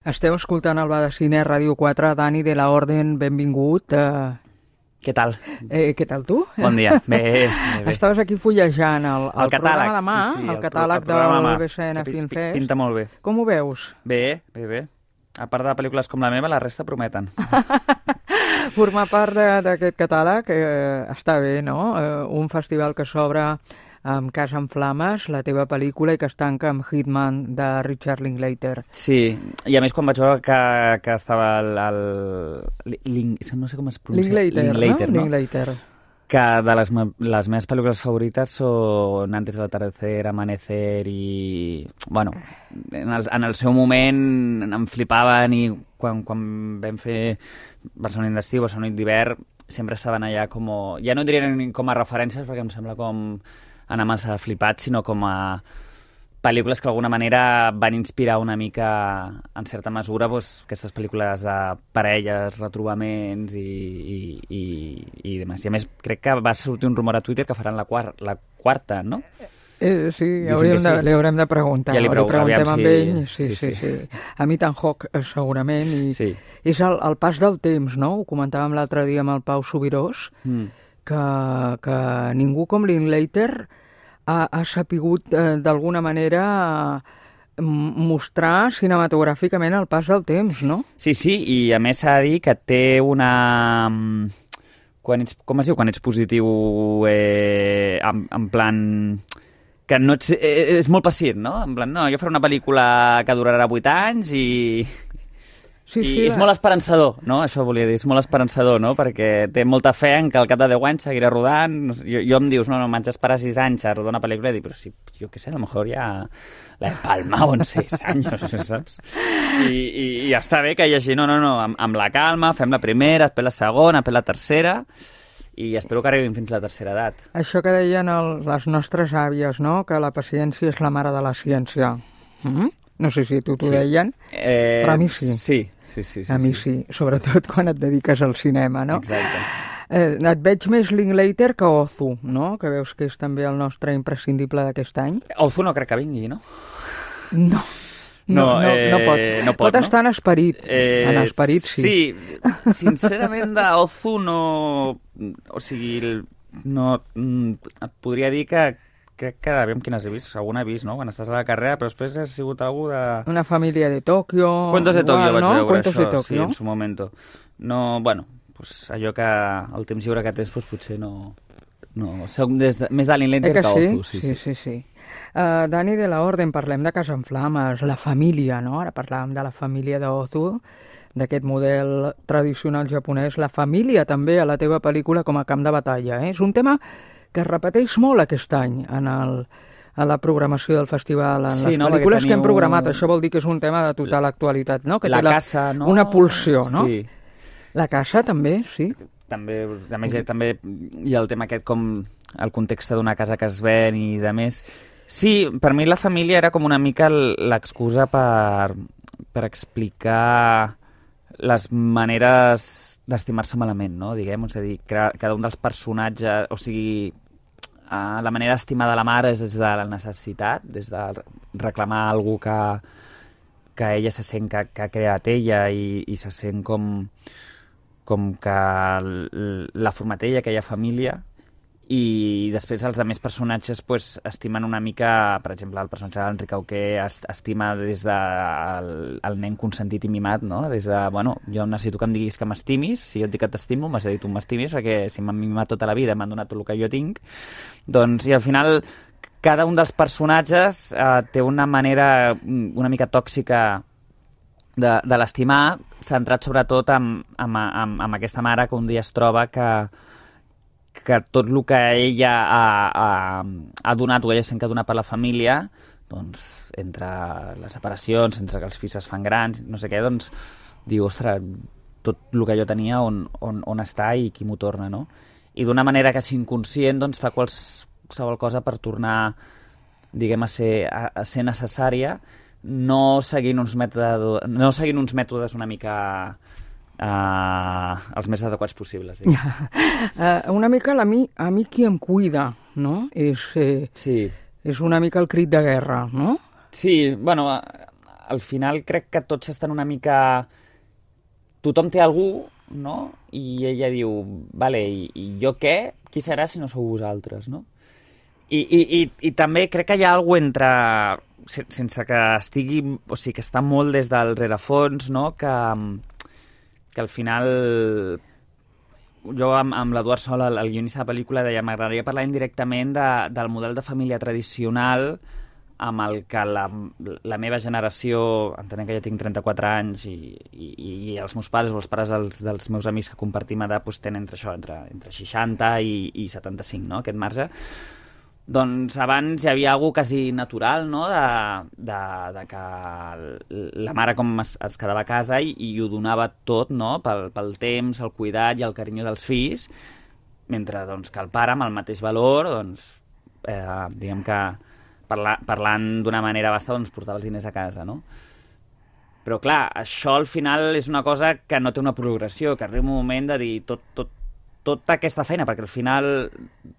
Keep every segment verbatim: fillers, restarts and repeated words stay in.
Esteu escoltant el Bar de Cine, Ràdio quatre, Dani de la Orden, benvingut. Uh, Què tal? Eh, què tal tu? Bon dia. Bé, bé, bé. Estaves aquí fullejant el, el, el catàleg, programa de mà, sí, sí, el, el catàleg pro, el del B C N Film Fest. Pinta molt bé. Com ho veus? Bé, bé, bé. A part de pel·lícules com la meva, la resta prometen. Formar part d'aquest catàleg eh, està bé, no? Eh, un festival que s'obre amb Casa en Flames, la teva pel·lícula, i que es tanca amb Hitman, de Richard Linklater. Sí, i a més quan vaig veure que, que estava el... el Link, no sé com es pronuncia. Linklater, Linklater, no? no? Linklater. Que de les, les meves pel·lícules favorites són Antes del atardecer, Amanecer i... Bueno, en el, en el seu moment em flipaven i quan, quan vam fer Barcelona d'estiu, Barcelona d'hivern, sempre estaven allà com... Ja no diria ni com a referències perquè em sembla com anar massa flipat, sinó com a pel·lícules que d'alguna manera van inspirar una mica, en certa mesura, doncs, aquestes pel·lícules de parelles, retrobaments i, i, i, i demés. I a més, crec que va sortir un rumor a Twitter que faran la, quar la quarta, no? Eh, sí, hauríem de, sí. li haurem de preguntar. Ja li, li preguntem amb si... ell. Sí, sí, sí. sí. sí. A mi tan Hawk, segurament. I sí. És el, el pas del temps, no? Ho comentàvem l'altre dia amb el Pau Subirós, mm. que, que ningú com Linklater ha, ha sapigut eh, d'alguna manera eh, mostrar cinematogràficament el pas del temps, no? Sí, sí, i a més s'ha de dir que té una... Quan ets, com es diu? Quan ets positiu eh, en, en plan... que no ets, eh, és molt pacient, no? En plan, no, jo faré una pel·lícula que durarà vuit anys i... Sí, sí, I és la... molt esperançador, no? Això volia dir, és molt esperançador, no? Perquè té molta fe en que al cap de deu anys seguirà rodant. No sé, jo, jo em dius, no, no, m'haig d'esperar sis anys a rodar una pel·lícula i dic, però sí, jo què sé, a lo mejor ja la he palmado en sis anys, saps? I, i, i està bé que hi hagi, no, no, no, amb, amb la calma, fem la primera, després la segona, després la tercera, i espero que arribin fins a la tercera edat. Això que deien el, les nostres àvies, no?, que la paciència és la mare de la ciència. Mm-hmm. No sé si tu t'ho sí. deien, eh, però a mi sí. Sí, sí, sí. sí a mi sí. sí, sobretot quan et dediques al cinema, no? Exacte. Eh, et veig més Linklater que Ozu, no? Que veus que és també el nostre imprescindible d'aquest any. Ozu no crec que vingui, no? No. No, no, no, eh, no pot. No pot, pot estar no? en esperit. Eh, en esperit, sí. Sí, sincerament, d'Ozu no... O sigui, no... Et podria dir que crec que, aviam quines he vist, alguna he vist, no? Quan estàs a la carrera, però després ha sigut algú de... Una família de Tòquio... Cuentos de Tòquio vaig no? veure, Cuentos això, de Tòquio. Sí, en su momento. No, bueno, pues allò que el temps lliure que tens, pues, potser no... no soc des de, més de Linklater que, que Ozu. Sí, sí, sí. sí. Uh, Dani de la Orden, parlem de Casa en Flames, la família, no? Ara parlàvem de la família d'Ozu, d'aquest model tradicional japonès, la família també a la teva pel·lícula com a camp de batalla. Eh? És un tema que es repeteix molt aquest any en, el, en la programació del festival, en sí, les no, pel·lícules que hem programat. Un... Això vol dir que és un tema de total actualitat, no? Que la té la, casa, no? Una pulsió, no? Sí. La casa també, sí. També, a més, també hi ha el tema aquest com el context d'una casa que es ven i de més. Sí, per mi la família era com una mica l'excusa per, per explicar les maneres d'estimar-se malament, no? Diguem, és a dir, cada un dels personatges, o sigui, uh, la manera d'estimar de la mare és des de la necessitat, des de reclamar algú que, que ella se sent que, que ha creat ella i, i se sent com, com que l'ha format ella, aquella família, i després els altres personatges pues, estimen una mica, per exemple, el personatge d'Enric Auqué estima des del de el nen consentit i mimat, no? Des de, bueno, jo necessito que em diguis que m'estimis, si jo et dic que t'estimo, m'has de dir tu m'estimis, perquè si m'han mimat tota la vida, m'han donat tot el que jo tinc, doncs, i al final, cada un dels personatges eh, té una manera una mica tòxica de, de l'estimar, centrat sobretot amb, amb, amb, amb aquesta mare que un dia es troba que que tot el que ella ha, ha, ha donat o ella sent que ha donat per la família, doncs, entre les separacions, entre que els fills es fan grans, no sé què, doncs, diu, ostres, tot el que jo tenia on, on, on està i qui m'ho torna, no? I d'una manera que és inconscient, doncs, fa qualsevol cosa per tornar, diguem, a ser, a, a ser necessària, no seguint uns mètodes, no seguint uns mètodes una mica... Uh, els més adequats possibles. uh, una mica a mi, a mi qui em cuida, no? És, eh, sí. és una mica el crit de guerra, no? Sí, bueno, al final crec que tots estan una mica... Tothom té algú, no? I ella diu, vale, i, i jo què? Qui serà si no sou vosaltres, no? I, i, i, i també crec que hi ha alguna entre... sense que estigui... O sigui, que està molt des del rerefons, no? Que, que al final... Jo amb, amb l'Eduard Sol, el, el guionista de la pel·lícula, deia m'agradaria parlar indirectament de, del model de família tradicional amb el que la, la meva generació, entenent que jo tinc trenta-quatre anys i, i, i els meus pares o els pares dels, dels meus amics que compartim edat doncs tenen entre això, entre, entre seixanta i, i setanta-cinc, no? Aquest marge. Doncs abans hi havia alguna cosa quasi natural, no? de, de, de que la mare com es, es quedava a casa i, i ho donava tot, no? pel, pel temps, el cuidat i el carinyo dels fills, mentre doncs, que el pare, amb el mateix valor, doncs, eh, diguem que parla, parlant d'una manera basta, doncs portava els diners a casa, no? Però clar, això al final és una cosa que no té una progressió, que arriba un moment de dir tot, tot tota aquesta feina, perquè al final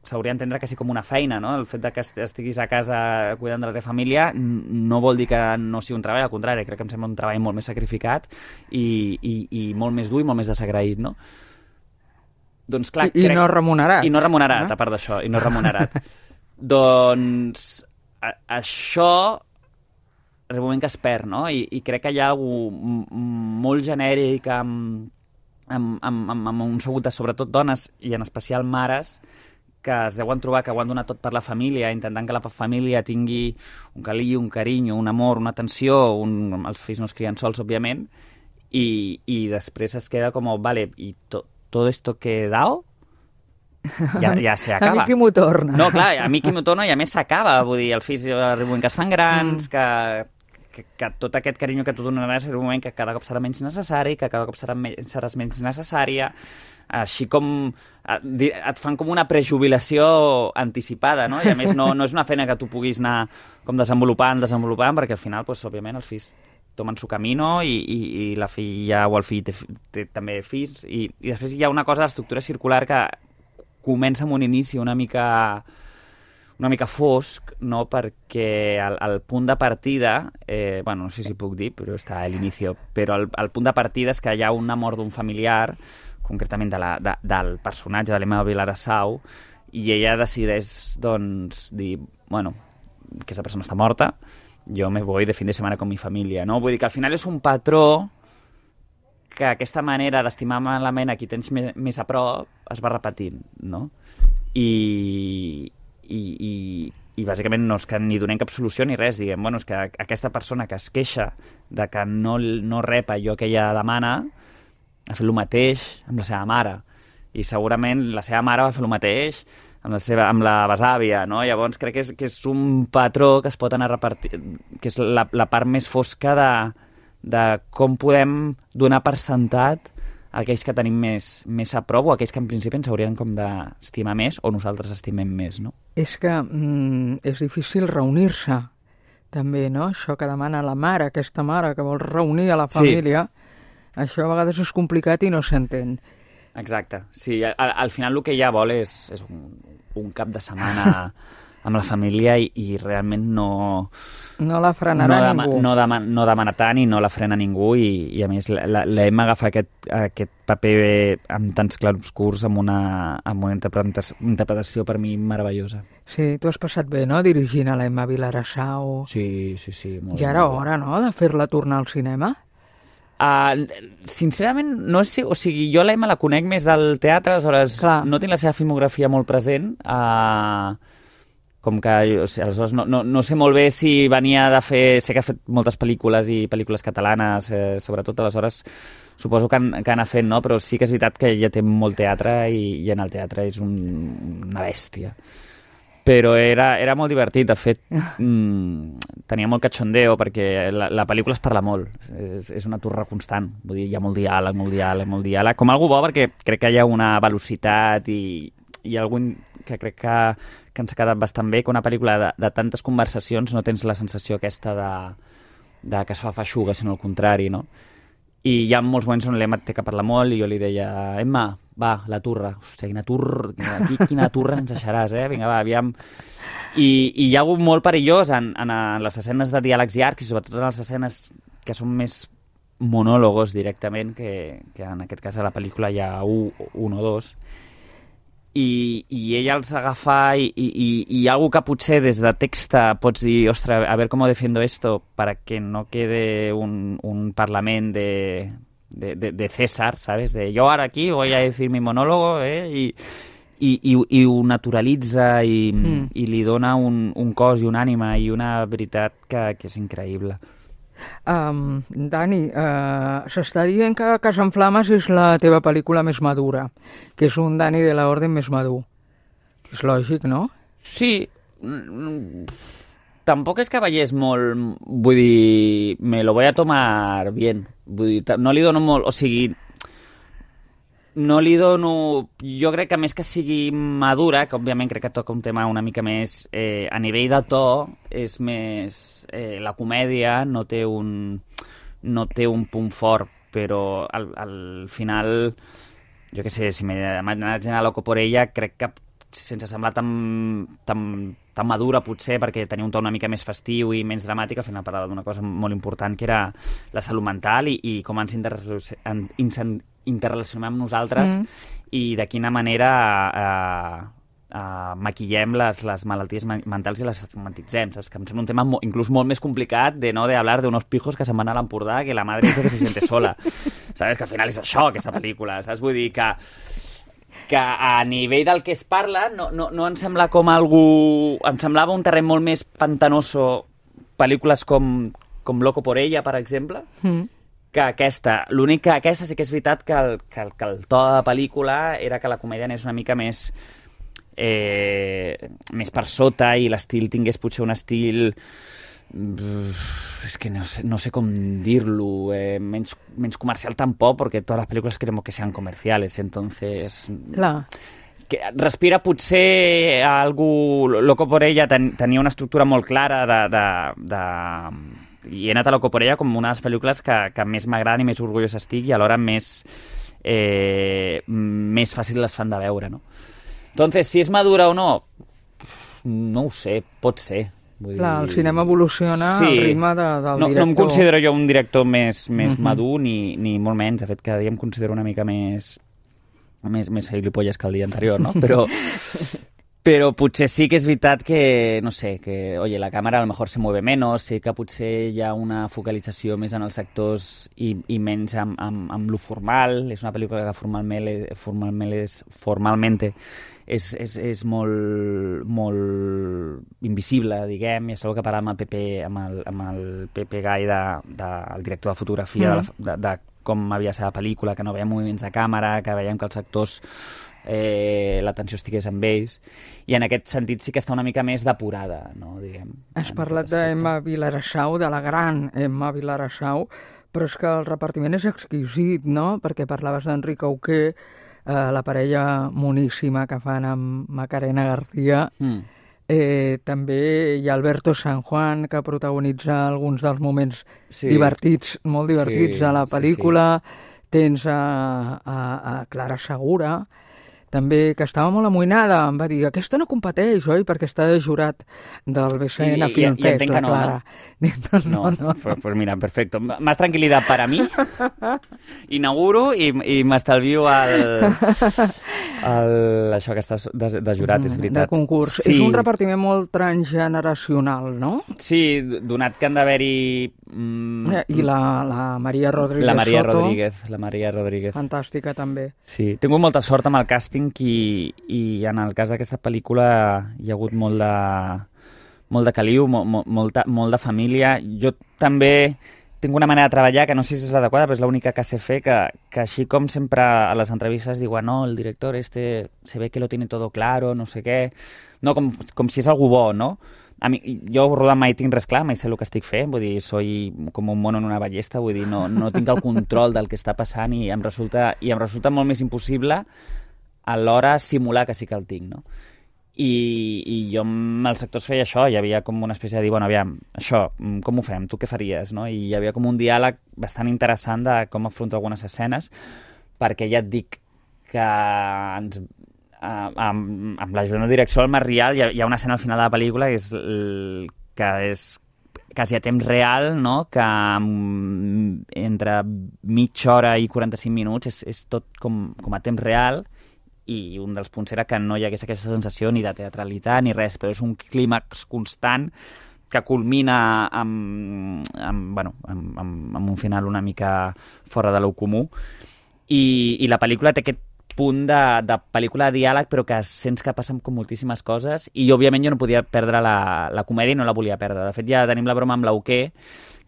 s'hauria d'entendre quasi com una feina, no? El fet de que estiguis a casa cuidant de la teva família no vol dir que no sigui un treball, al contrari, crec que em sembla un treball molt més sacrificat i, i, i molt més dur i molt més desagraït, no? Doncs clar, I, crec... I no remunerat. I no remunerat, ah? A part d'això, i no remunerat. Doncs a, això arriba un moment que es perd, no? I, i crec que hi ha algú molt genèric amb Amb, amb, amb, amb un segut de sobretot dones i en especial mares que es deuen trobar que ho han donat tot per la família, intentant que la família tingui un carinyo, un carinyo, un amor, una atenció, un... els fills no es crien sols, òbviament, i, i després es queda com, vale, i to, todo esto que he dado ja, ja se acaba. A mi qui m'ho torna. No, clar, a mi qui m'ho torna i a més s'acaba, vull dir, els fills arriben que es fan grans, mm. que... Que, que tot aquest carinyo que tu donaràs en un moment que cada cop serà menys necessari, que cada cop serà me seràs menys necessària, així com et, et fan com una prejubilació anticipada, no? I a més no, no és una feina que tu puguis anar com desenvolupant, desenvolupant, perquè al final, pues, òbviament, els fills tomen su camino i, i, i la filla o el fill té, té també fills, i, i després hi ha una cosa d'estructura circular que comença amb un inici una mica... una mica fosc, no? Perquè el, el punt de partida, eh, bueno, no sé si puc dir, però està a l'inici, però el, el punt de partida és que hi ha una mort d'un familiar, concretament de la, de, del personatge de l'Emma Vilarassau, i ella decideix, doncs, dir, bueno, que aquesta persona està morta, jo me voy de fin de setmana con mi família, no? Vull dir que al final és un patró que aquesta manera d'estimar malament a qui tens més, més a prop es va repetint, no? I... I, i, i bàsicament no és que ni donem cap solució ni res, diguem, bueno, és que aquesta persona que es queixa de que no, no rep allò que ella demana ha fet el mateix amb la seva mare, i segurament la seva mare va fer el mateix amb la, seva, amb la besàvia, no? Llavors crec que és, que és un patró que es pot anar repartint, que és la, la part més fosca de, de com podem donar per sentat aquells que tenim més, més a prop o aquells que en principi ens haurien com d'estimar més o nosaltres estimem més, no? És que mm, és difícil reunir-se, també, no? Això que demana la mare, aquesta mare que vol reunir a la família, sí. Això a vegades és complicat i no s'entén. Exacte, sí, al, al final el que ella vol és, és un, un cap de setmana amb la família i, i realment no... No la frenarà no ningú. No, dema, no demana tant i no la frena ningú i, i a més l'Emma agafa aquest, aquest paper amb tants clarobscurs amb una, amb una interpretació, interpretació per mi meravellosa. Sí, tu has passat bé, no?, dirigint a l'Emma Vilarassau. Sí, sí, sí. Molt ja era bé. hora, no?, de fer-la tornar al cinema? Uh, sincerament, no sé, o sigui, jo l'Emma la conec més del teatre, aleshores Clar. no tinc la seva filmografia molt present, uh, com que, o sigui, aleshores no, no, no sé molt bé si venia de fer... Sé que ha fet moltes pel·lícules i pel·lícules catalanes, eh, sobretot, aleshores suposo que, han, que han fet, no? Però sí que és veritat que ella té molt teatre i, i en el teatre és un, una bèstia. Però era, era molt divertit, de fet, mmm, tenia molt cachondeo, perquè la, la pel·lícula es parla molt, és, és una torre constant, vull dir, hi ha molt diàleg, molt diàleg, molt diàleg, com algú bo, perquè crec que hi ha una velocitat i, i algun que crec que, que ens ha quedat bastant bé, que una pel·lícula de, de tantes conversacions no tens la sensació aquesta de, de que es fa feixuga, sinó al contrari, no? I hi ha molts moments on l'Emma té que parlar molt i jo li deia, Emma, va, la turra. Hòstia, quina turra, aquí, quina turra ens deixaràs, eh? Vinga, va, aviam. I, i hi ha hagut molt perillós en, en, en les escenes de diàlegs llargs i sobretot en les escenes que són més monòlogos directament, que, que en aquest cas a la pel·lícula hi ha un, un o dos, i, i ella els agafa i, i, i, i algo que potser des de text pots dir, ostres, a ver cómo defiendo esto para que no quede un, un parlament de, de, de, de César, ¿sabes? De yo ahora aquí voy a decir mi monólogo, eh? I, i, i, i ho naturalitza i, mm. i li dona un, un cos i una ànima i una veritat que, que és increïble. Um, Dani, uh, s'està dient que Casa en Flames és la teva pel·lícula més madura, que és un Dani de la Orden més madur. És lògic, no? Sí. Tampoc és que veiés molt... Vull dir, me lo voy a tomar bien. Vull dir, no li dono molt... O sigui, no li dono... Jo crec que més que sigui madura, que òbviament crec que toca un tema una mica més... Eh, a nivell de to, és més... Eh, la comèdia no té un... no té un punt fort, però al, al final... Jo què sé, si m'he anat a Loco por ella, crec que sense semblar tan, tan, tan madura potser, perquè tenia un to una mica més festiu i menys dramàtic, al final parlava d'una cosa molt important, que era la salut mental i, i com ens interrelacionem amb nosaltres mm. i de quina manera eh, eh, maquillem les, les malalties mentals i les estigmatitzem, saps? Que em sembla un tema mo, inclús molt més complicat de no de hablar de unos pijos que se'n van a l'Empordà que la madre dice que se siente sola. Sabes? Que al final és això, aquesta pel·lícula, saps? Vull dir que que a nivell del que es parla no, no, no em sembla com algú... Em semblava un terreny molt més pantanoso pel·lícules com, com Loco por ella, per exemple, mm. que aquesta. L'únic que aquesta sí que és veritat que el, que, el, que el to de la pel·lícula era que la comèdia anés una mica més eh, més per sota i l'estil tingués potser un estil... és que no sé, no sé com dir-lo, eh, menys, menys comercial tampoc, perquè totes les pel·lícules queremos que sean comerciales, entonces... Clar. Que respira potser algú... Loco por ella ten, tenia una estructura molt clara de... de, de... i he anat a Loco por ella com una de les pel·lícules que, que més m'agraden i més orgullós estic i alhora més, eh, més fàcil les fan de veure, no? Entonces, si és madura o no, no ho sé, pot ser. Vull Clar, dir... el cinema evoluciona sí. al ritme de, del no, director. No em considero jo un director més, més uh-huh. madur, ni, ni molt menys. De fet, cada dia em considero una mica més més, més gilipolles que el dia anterior, no? Però, però potser sí que és veritat que, no sé, que, oye, la càmera a lo mejor se mueve menos, sé que potser hi ha una focalització més en els actors i, i menys amb, amb, amb lo formal. És una pel·lícula que formalment, formalment, és, formalmente és, és, és molt, molt invisible, diguem, i és que parlar amb el Pepe, amb el, amb el Pepe Gai, de, de, el director de fotografia, mm. de, la, de, de com havia ser la pel·lícula, que no veiem moviments de càmera, que veiem que els actors eh, l'atenció estigués amb ells, i en aquest sentit sí que està una mica més depurada, no, diguem. Has parlat d'Emma Vilarasau, de la gran Emma Vilarasau, però és que el repartiment és exquisit, no?, perquè parlaves d'Enric Auqué, eh, la parella moníssima que fan amb Macarena García, mm. Eh, també hi ha Alberto San Juan, que protagonitza alguns dels moments sí. divertits, molt divertits sí, de la pel·lícula. Sí, sí. Tens a, a, a Clara Segura, també, que estava molt amoïnada, em va dir, aquesta no competeix, oi? Perquè està de jurat del B C N Film Fest, la Clara. No, no, no. no. Pues, pues mira, perfecto. Más tranquilidad para mí. Inauguro i, i m'estalvio el, el, això que estàs de, de jurat, és veritat. De concurs. Sí. És un repartiment molt transgeneracional, no? Sí, donat que han d'haver-hi... Mm, I la, la Maria Rodríguez La Maria Soto, Rodríguez, la Maria Rodríguez. Fantàstica, també. Sí, tinc molta sort amb el càsting i, i en el cas d'aquesta pel·lícula hi ha hagut molt de, molt de caliu, molt, molt, molta, molt de família. Jo també tinc una manera de treballar que no sé si és l'adequada, però és l'única que sé fer, que, que així com sempre a les entrevistes diuen no, el director este se ve que lo tiene todo claro, no sé què, no, com, com si és algú bo, no? A mi, jo rodant mai tinc res clar, mai sé el que estic fent, vull dir, soy com un mono en una ballesta, vull dir, no, no tinc el control del que està passant i em resulta, i em resulta molt més impossible alhora simular que sí que el tinc, no? I, i jo amb els actors feia això, hi havia com una espècie de dir, bueno, aviam, això, com ho fem, tu què faries, no? I hi havia com un diàleg bastant interessant de com afronto algunes escenes, perquè ja et dic que ens... Uh, amb, amb l'ajuda de direcció del Marc Rial hi ha, hi ha una escena al final de la pel·lícula que és, el, que és quasi a temps real, no? Que um, entre mitja hora i quaranta-cinc minuts és, és tot com, com a temps real, i un dels punts era que no hi hagués aquesta sensació ni de teatralitat ni res, però és un clímax constant que culmina amb, amb, bueno, amb, amb, amb un final una mica fora de lo comú. I, i la pel·lícula té aquest punt de, de pel·lícula de diàleg, però que sents que passen com moltíssimes coses, i òbviament jo no podia perdre la, la comèdia i no la volia perdre. De fet, ja tenim la broma amb l'Auquer,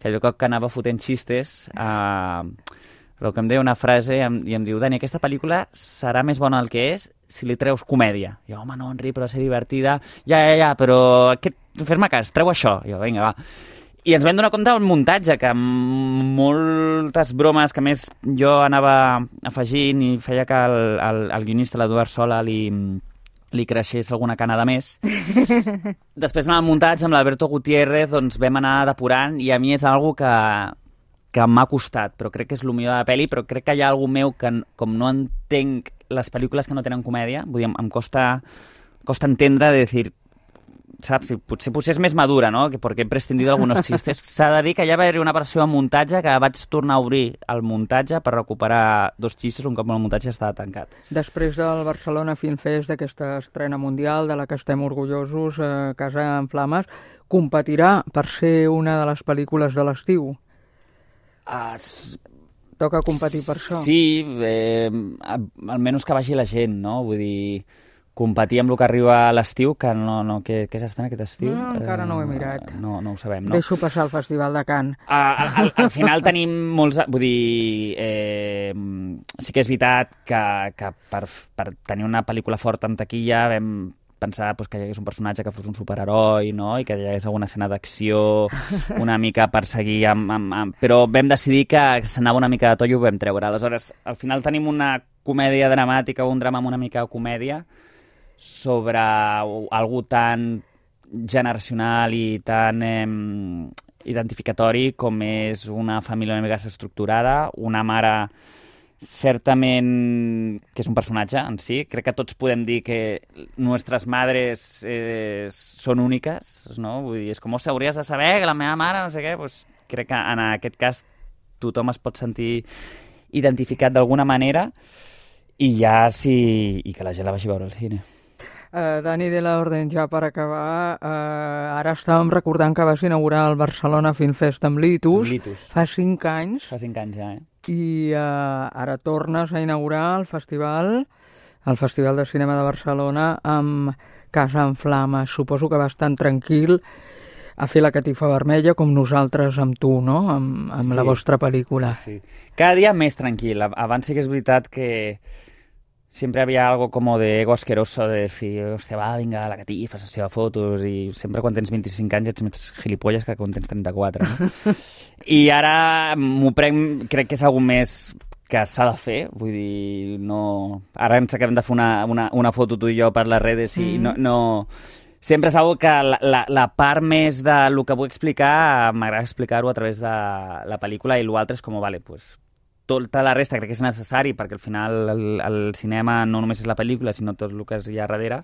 que allò que anava fotent xistes, eh, però que em deia una frase i em, i em diu: Dani, aquesta pel·lícula serà més bona del que és si li treus comèdia. I jo, home, no, Enric, però va ser divertida. Ja, ja, ja, però aquest, fes-me cas, treu això. I jo, vinga, va. I ens vam donar compte del muntatge, que amb moltes bromes que més jo anava afegint i feia que el, el, el guionista, l'Eduard Sola, li, li creixés alguna cana de més. Després, en el muntatge, amb l'Alberto Gutiérrez, doncs vam anar depurant, i a mi és algo que, que m'ha costat, però crec que és el millor de la pel·li, però crec que hi ha algú meu que, com no entenc les pel·lícules que no tenen comèdia, vull dir, em, em costa, costa entendre de dir, saps? Potser, potser és més madura, no? Que perquè he prescindido algunos xistes. S'ha de dir que ja va haver una versió de muntatge que vaig tornar a obrir el muntatge per recuperar dos xistes un cop el muntatge estava tancat. Després del Barcelona Film Fest, d'aquesta estrena mundial de la que estem orgullosos, eh, Casa en Flames, competirà per ser una de les pel·lícules de l'estiu? Uh, Toca competir per això? Sí, eh, almenys que vagi la gent, no? Vull dir, competir amb el que arriba a l'estiu, que no, no, què, què s'estrena aquest estiu? No, encara no ho he mirat. Uh, no, no ho sabem, no? Deixo passar el Festival de Cannes. Uh, al, al, al final tenim molts... Vull dir, eh, sí que és veritat que, que per, per tenir una pel·lícula forta en taquilla vam pensar pues, que hi hagués un personatge que fos un superheroi, no? I que hi hagués alguna escena d'acció una mica per seguir amb, amb, amb... Però vam decidir que s'anava una mica de tollo i ho vam treure. Aleshores, al final tenim una comèdia dramàtica o un drama amb una mica de comèdia sobre algú tan generacional i tan eh, identificatori com és una família una mica estructurada, una mare certament que és un personatge en si. Crec que tots podem dir que nostres madres eh, són úniques, no? Vull dir, és com, ostres, hauries de saber que la meva mare no sé què, doncs crec que en aquest cas tothom es pot sentir identificat d'alguna manera, i ja sí, i que la gent la vagi a veure al cine. Uh, Dani de la Orden, ja per acabar, uh, ara estàvem recordant que vas inaugurar el Barcelona Film Fest amb Litus, Litus. fa cinc anys. Fa cinc anys ja, eh? I uh, ara tornes a inaugurar el festival, el Festival de Cinema de Barcelona, amb Casa en Flames. Suposo que vas tan tranquil a fer la catifa vermella com nosaltres amb tu, no? Amb, amb sí. La vostra pel·lícula. Sí. Cada dia més tranquil. Abans sí que és veritat que siempre había algo como de ego asqueroso de decir, hostia, va, vinga, la catifa, sessió de fotos, i sempre quan tens vint-i-cinc anys ets més gilipolles que quan tens trenta-quatre, no? I ara m'ho prenc, crec que és algo més que s'ha de fer, vull dir, no... Ara ens acabem de fer una, una, una foto tu i jo per les redes i mm. no, no... Sempre és algo que la, la, la part més de lo que vull explicar m'agrada explicar-ho a través de la pel·lícula, i l'altre és com, vale, pues, tota la resta crec que és necessari, perquè al final el, el cinema no només és la pel·lícula, sinó tot el que hi ha darrere,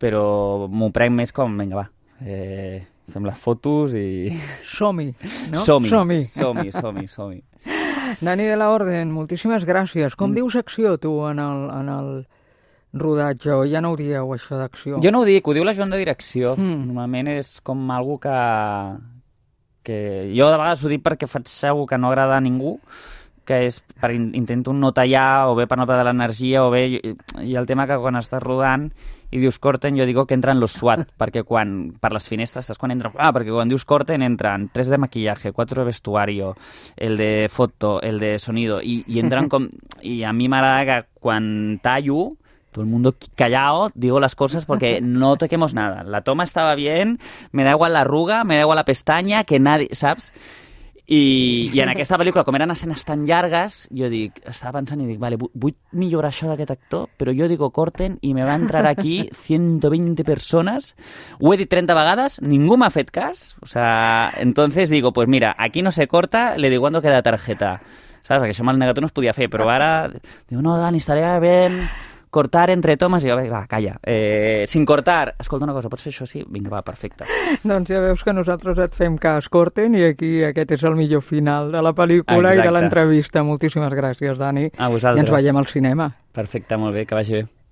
però m'ho prenc més com, vinga, va, eh, fem les fotos i... Som-hi, no? Som-hi, som-hi, som-hi, som-hi, som-hi. Dani de la Orden, moltíssimes gràcies. Com mm. dius acció, tu, en el, en el rodatge, o ja no ho dieu, això d'acció? Jo no ho dic, ho diu la Joan de direcció. Mm. Normalment és com algo que... que jo de vegades ho dic perquè faig algo que no agrada a ningú, que és per intento no tallar, o bé per no perdre l'energia, o bé... I el tema que quan estàs rodant i dius corten, jo digo que entran los SWAT, perquè quan, per les finestres, saps quan entra... Ah, perquè quan dius corten entran tres de maquillaje, quatre de vestuario, el de foto, el de sonido, i, i entran com... I a mi m'agrada que quan tallo, todo el mundo callado, digo las cosas porque no toquemos nada. La toma estaba bien, me da igual la arruga, me da igual la pestaña, que nadie, saps? I, i en aquesta pel·lícula, com eren escenes tan llargues, jo dic, estava pensant i dic, vale, vull millorar això d'aquest actor, però jo digo corten i me va entrar aquí ciento veinte personas, ho he dit trenta vegades, ningú m'ha fet cas, o sea, entonces digo, pues mira, aquí no se corta, le digo cuando queda tarjeta, saps? Que això amb el negatiu no es podia fer, però ara digo, no, Dani, estaria bé cortar entre tomes, i jo, va, calla. Eh, sin cortar, escolta una cosa, pots fer això? Sí? Vinga, va, perfecte. Doncs ja veus que nosaltres et fem cas, corten, i aquí aquest és el millor final de la pel·lícula. Exacte. I de l'entrevista. Moltíssimes gràcies, Dani. A vosaltres. I ens veiem al cinema. Perfecte, molt bé, que vagi bé.